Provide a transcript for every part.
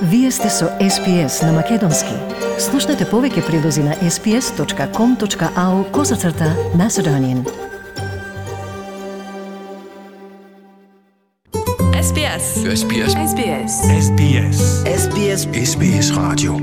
Вие сте со SPS на Македонски. Слушнете повеќе прилози на sps.com.au/Macedonian. SBS. SBS. SBS. SBS. SBS. SBS радио.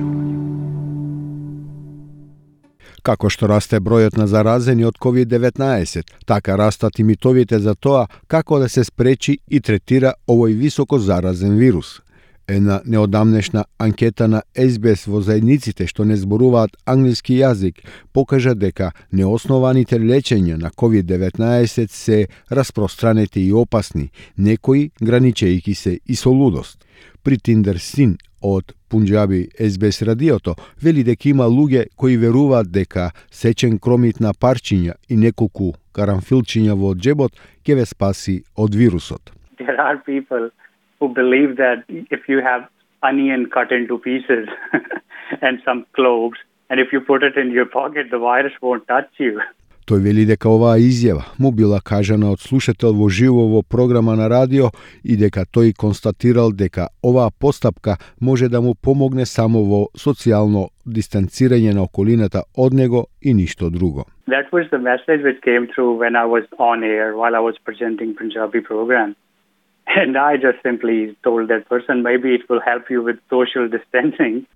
Како што расте бројот на заразени од COVID-19, така растат и митовите за тоа како да се спречи и третира овој високо заразен вирус. Една неодамнешна анкета на SBS во заедниците што не зборуваат англиски јазик покажа дека неоснованите лечења на COVID-19 се распространети и опасни, некои граничејќи се и со лудост. Притиндер Син од Пунџаби SBS радиото вели дека има луѓе кои веруваат дека сечен кромит на парчиња и неколку карамфилчиња во џебот ќе ве спаси од вирусот. There are people who believe that if you have onion cut into pieces and some cloves, and if you put it in your pocket, the virus won't touch you. Тој вели дека оваа изјава му била кажана од слушател во живо во програма на радио и дека тој констатирал дека оваа постапка може да му помогне само во социјално дистанцирање на околината од него и ништо друго. That was the message which came through when I was on air while I was presenting Punjabi program. And I just simply told that person, maybe it will help you with social distancing.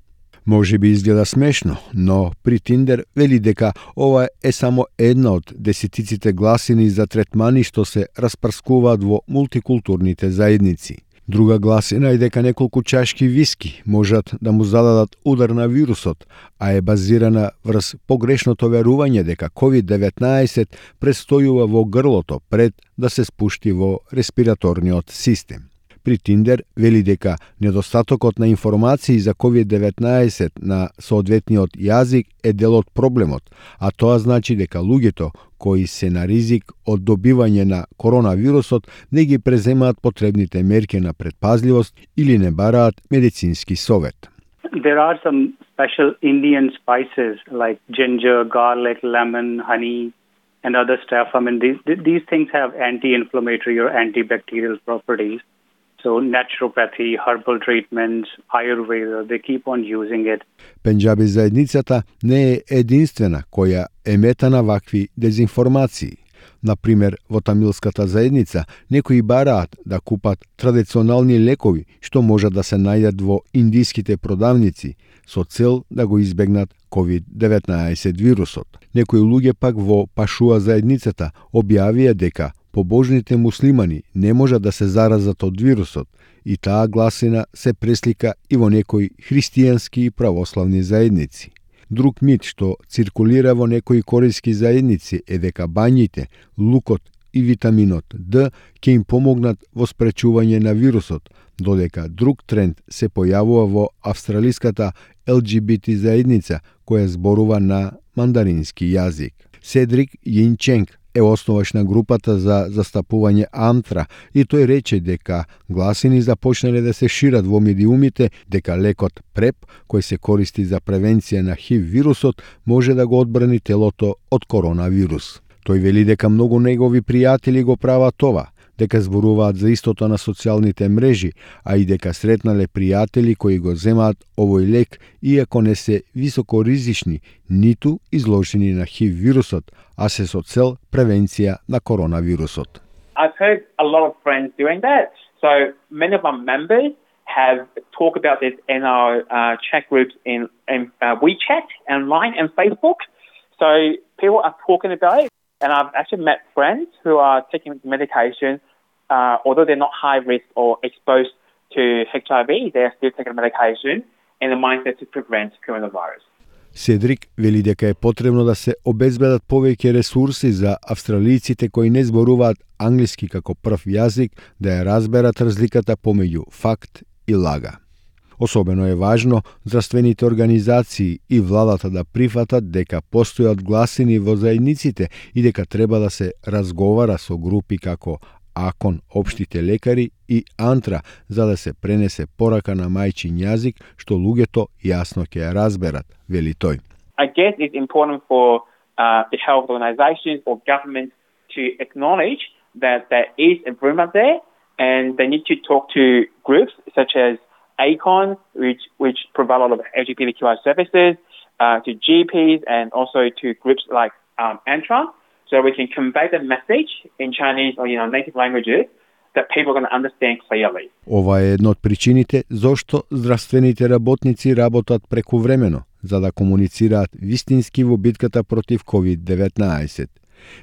Може би изгледа смешно, но Притиндер вели дека ова е само една од десетиците гласини за третмани што се распрскуваат во мултикултурните заедници. Друга гласина е дека неколку чашки виски можат да му зададат удар на вирусот, а е базирана врз погрешното верување дека COVID-19 престојува во грлото пред да се спушти во респираторниот систем. Притиндер вели дека недостатокот на информации за COVID-19 на соодветниот јазик е дел од проблемот, а тоа значи дека луѓето кои се на ризик од добивање на коронавирусот не ги преземаат потребните мерки на предпазливост или не бараат медицински совет. There are some special Indian spices like ginger, garlic, lemon, honey, and other stuff. I mean, these things have anti-inflammatory or antibacterial properties. So naturopathy, herbal treatments, Ayurveda, they keep on using it. Пенџаби заедницата не е единствена која емета на вакви дезинформации. Например, во тамилската заедница некои бараат да купат традиционални лекови што можат да се најдат во индиските продавници со цел да го избегнат COVID-19 вирусот. Некои луѓе пак во Пашуа заедницата објавија дека побожните муслимани не можат да се заразат од вирусот и таа гласина се преслика и во некои христијански и православни заедници. Друг мит што циркулира во некои корејски заедници е дека бањите, лукот и витаминот Д ќе им помогнат во спречување на вирусот, додека друг тренд се појавува во австралиската LGBT заедница која зборува на мандарински јазик. Седрик Јинченг е основач на групата за застапување антра и тој рече дека гласини започнале да се шират во медиумите дека лекот ПрЕП, кој се користи за превенција на ХИВ вирусот, може да го одбрани телото од коронавирус. Тој вели дека многу негови пријатели го прават това, дека зборуваат за истото на социјалните мрежи, а и дека сретнале пријатели кои го земаат овој лек, иако не се високо ризични, ниту изложени на ХИВ вирусот, а се со цел превенција на коронавирусот. I've heard a lot of friends doing that. So many of our members have talked about this in our chat groups in WeChat and Line and Facebook. So people are talking about it. And I've actually met friends who are taking medication, although they're not high risk or exposed to HIV, they're still taking medication in the mindset to prevent coronavirus. Седрик вели дека е потребно да се обезбедат повеќе ресурси за австралиците кои не зборуваат англиски како прв јазик да ја разберат разликата помеѓу факт и лага. Особено е важно здравствените организации и владата да прифатат дека постојат гласини во заедниците и дека треба да се разговара со групи како АКОН, општите лекари и АНТРА за да се пренесе порака на мајчин јазик што луѓето јасно ќе ја разберат, вели тој. I guess it's important for the health organizations or government to acknowledge that there is a rumor there and they need to talk to groups such as ACON, which provide a lot of LGBTQI services, to GPs and also to groups like ANTRA, so we can convey the message in Chinese or native languages that people are going to understand clearly. Ова е една од причините зошто здравствените работници работат прекувремено, за да комуницираат вистински во битката против COVID-19.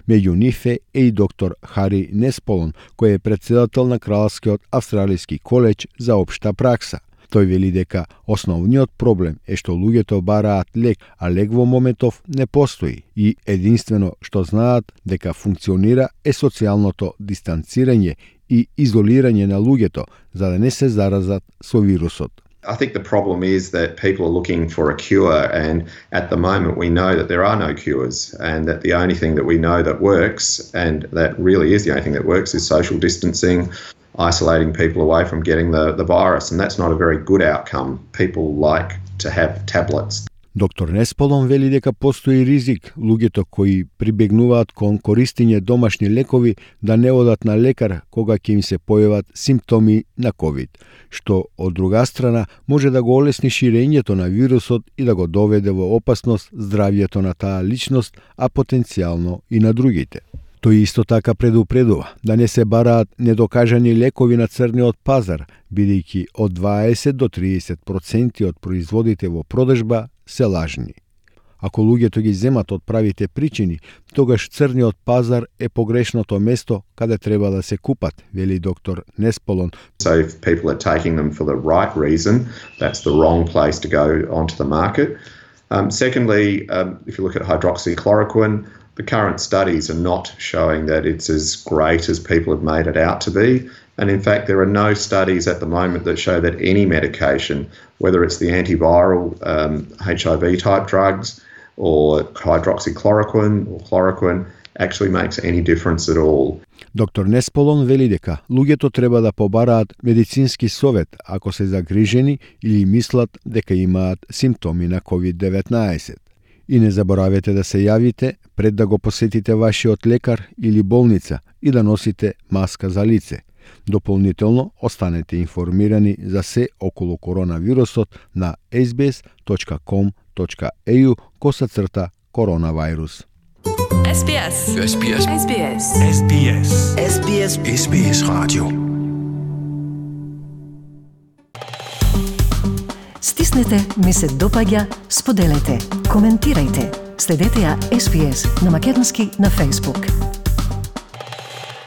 Меѓу нив е и доктор Хари Несполон, кој е председател на Кралскиот австралиски колеџ за општа пракса. Тој вели дека основниот проблем е што луѓето бараат лек, а лек во моментов не постои и единствено што знаат дека функционира е социјалното дистанцирање и изолирање на луѓето за да не се заразат со вирусот. I think the problem is that people are looking for a cure, and at the moment we know that there are no cures, and that the only thing that we know that works, and that really is the only thing that works, is social distancing, isolating people away from getting the virus, and that's not a very good outcome. People like to have tablets. Доктор Несполон вели дека постои ризик луѓето кои прибегнуваат кон користење домашни лекови да не одат на лекар кога ќе им се појават симптоми на COVID, што од друга страна може да го олесни ширењето на вирусот и да го доведе во опасност здравјето на таа личност, а потенцијално и на другите. Тој исто така предупредува да не се бараат недокажани лекови на црниот пазар, бидејќи од 20 до 30% од производите во продажба се лажни. Ако луѓето ги земат од правите причини, тогаш црниот пазар е погрешното место каде треба да се купат, вели доктор Несполон. So if people are taking them for the right reason, that's the wrong place to go onto the market. Secondly, if you look at hydroxychloroquine, the current studies are not showing that it's as great as people have made it out to be. And in fact, there are no studies at the moment that show that any medication, whether it's the antiviral HIV type drugs or hydroxychloroquine or chloroquine, actually makes any difference at all. Доктор Несполон вели дека луѓето треба да побараат медицински совет ако се загрижени или мислат дека имаат симптоми на COVID-19. И не заборавете да се јавите пред да го посетите вашиот лекар или болница и да носите маска за лице. Дополнително останете информирани за се околу коронавирусот на sbs.com.au/коронавирус. SBS. SBS. SBS. SBS. SBS. SBS Radio. Стиснете, ми се допаѓа, споделете, коментирајте. Следете ја SBS на македонски на Facebook.